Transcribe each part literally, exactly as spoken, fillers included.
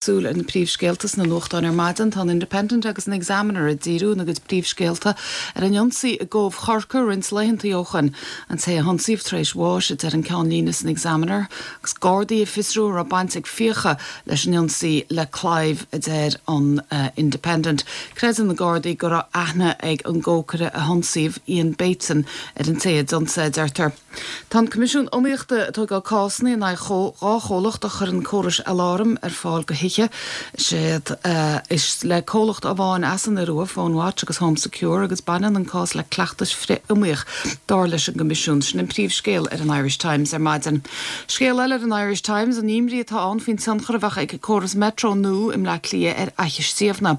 Súil ar na príomhscéalta sna nuachtáin ar maidin tá an Independent agus an Examiner ag díriú ina gcuid príomhscéalta ar an ionsaí i gCóbh Chorcaí roinnt laethanta ó shin an té a hionsaíodh tar éis bháis a deir an ceannlíne san Examiner, agus Gardaí ag fiosrú an raibh baint ag fiacha leis an ionsaí le claíomh a deir an uh, Independent. Creideann na Gardaí go raibh aithne ag an gcócaire a hionsaíodh Ian Bateson ar an té a d'ionsaigh deirtear. Tá an Coimisiún Iomaíochta ag tógáil cásanna in aghaidh dhá chomhlacht a chuireann córais aláram ar fáil do thithe siad uh, is le comhlacht amháin as an Iorua PhoneWatch agus Home Secure agus baineann an cás le cleachtais frith-iomaíoch dar leis an gCoimisiún sin an príomhscéal ar an Irish Times ar maidin. Scéal eile ar an Irish Times an imní atá ann faoin tionchar a bheadh ag córas metro nua i mBleá Cliath ar Fhaiche Stiabhna.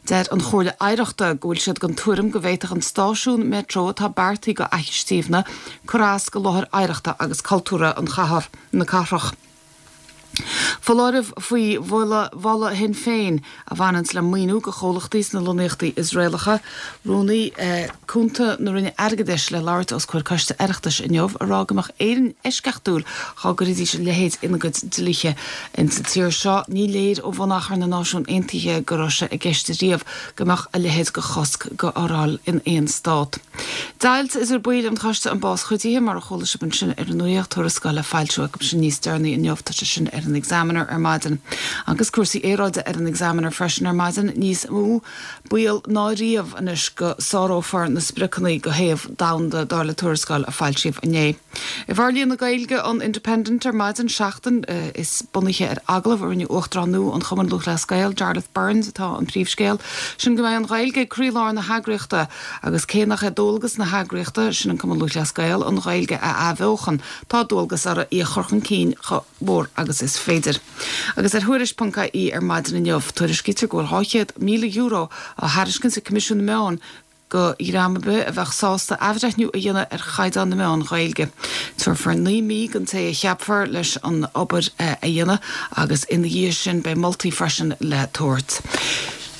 Deir an Chomhairle Oidhreachta go bhfuil siad den tuairim go bhféadfadh an stáisiún metro atá beartaithe do Fhaiche Stiabhna cur as do láthair oidhreachta agus cultúrtha an chathair na cathrach. Foláireamh faoi mholadh Shinn Féin a bhaineann le maoiniú do chomhlachtaí sna lonnaíochtaí Iosraelacha, rúnaí eh, cúnta na Roinne Airgeadais le labhairt os comhair coiste Oireachtais inniu ag rá go mbeadh Éirinn eisceachtúil dá gcuirfidís a leithéid ina gcuid dlíthe in sa tír seo ní léir ó bhunachar na Náisiún Aontaithe go raibh sé i gceist riamh go mbeadh a leithéid de chosc á fhoráil in aon stát. Deighilt idir baill an choiste um bás cuidithe mar a chuala sibh ansin ar an nuacht tuarascáil le foilsiú acu sin níos deireanaí inniu tá sé sin ar an Examiner ar maidin. Agus cúrsaí aeráide ar an Examiner freisin ar maidin níos mó baol ná riamh anois go sárófar na spriocanna do théamh domhanda dar le tuarascáil a foilsíodh inné. I bhforlíonadh na Gaeilge an Independent ar maidin seachtain uh, is bunaithe ar agallamh a rinne Uachtarán nua an Chumann Lúthchleas Gael, Jarlath Burns atá an príomhscéal, sin go mbeidh an Ghaeilge ag croílár na heagraíochta agus cé nach é dualgas na heagraíochta sin an Cumann Lúthchleas Gael an Ghaeilge a athbheochan tá dualgas orthu í a chur chun cinn chomh mór agus is féidir. Agus ar Thuairisc.ie ar maidin inniu tuairiscítear go bhfuil dhá chéad míle euro á thairiscint ag Coimisiún na Meán do dhream ar bith a bheadh sásta athbhreithniú a dhéanamh ar chaighdeán na meán Gaeilge. Tabharfar naoi mí don té a cheapfar leis an obair a dhéanamh agus ina dhiaidh sin beidh moltaí freisin le tabhairt.